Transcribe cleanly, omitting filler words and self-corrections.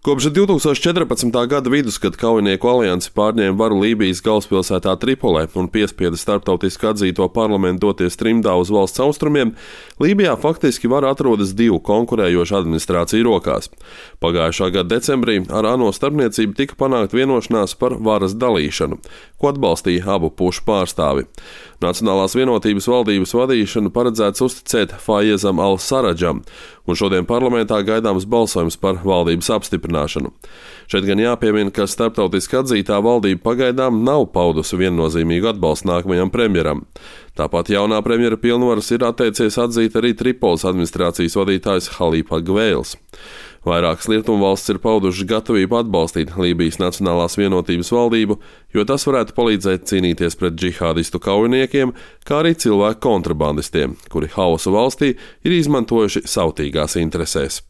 Kopš 2014. gada vidus, kad kaujinieku alianse pārņēma varu Lībijas galvaspilsētā Tripolē un piespieda starptautiski atzīto parlamentu doties trimdā uz valsts austrumiem, Lībijā faktiski vara atrodas divu konkurējošu administrāciju rokās. Pagājušā gada decembrī ar ANO starpniecību tika panākt vienošanās par varas dalīšanu, ko atbalstīja abu pušu pārstāvi. Nacionālās vienotības valdības vadīšanu paredzēts uzticēt Faiezam al-Saradžam, un šodien parlamentā gaidāms balsojums par valdības apstiprināšanu. Šeit gan jāpiemina, ka starptautiski atzītā valdība pagaidām nav paudusi viennozīmīgu atbalstu nākamajam premjeram. Tāpat jaunā premjera pilnvaras ir atteicies atzīt arī Tripoles administrācijas vadītājs Halifa Gveils. Vairākas rietumvalstis ir paudušas gatavību atbalstīt Lībijas Nacionālās vienotības valdību, jo tas varētu palīdzēt cīnīties pret džihādistu kaujiniekiem, kā arī cilvēku kontrabandistiem, kuri hausu valstī ir izmantojuši savtīgās interesēs.